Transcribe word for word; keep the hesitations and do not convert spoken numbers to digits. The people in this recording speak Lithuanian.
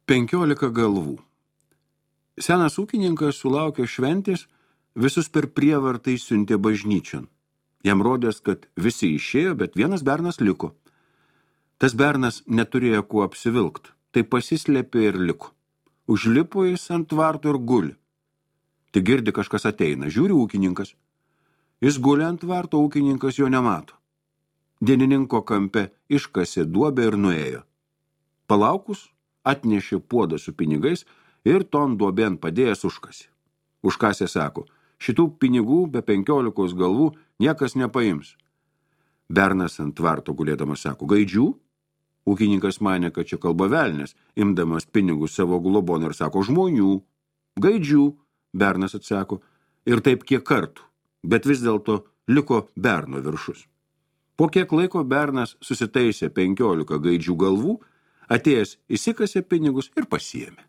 Penkiolika galvų. Senas ūkininkas sulaukė šventės, visus per prievartą išsiuntė bažnyčion. Jam rodės, kad visi išėjo, bet vienas bernas liko. Tas bernas neturėjo kuo apsivilkt, tai pasislėpė ir liko. Užlipo jis ant tvarto ir guli. Tik girdi kažkas ateina, žiūri ūkininkas. Jis guli ant tvarto, ūkininkas jo nemato. Dienininko kampe iškasė duobę ir nuėjo. Palaukus, atnešė puodą su pinigais ir ton duobėn padėjęs užkasė. Užkasė sako, šitų pinigų be penkiolikos galvų niekas nepaims. Bernas ant tvarto gulėdamas sako, gaidžių? Ūkininkas manė, kad čia kalba velnias, imdamas pinigus savo globon ir sako, žmonių. Gaidžių, bernas atsako, ir taip kiek kartų, bet vis dėlto liko berno viršus. Po kiek laiko bernas susitaisė penkiolika gaidžių galvų, atėjęs įsikasė pinigus ir pasiėmė.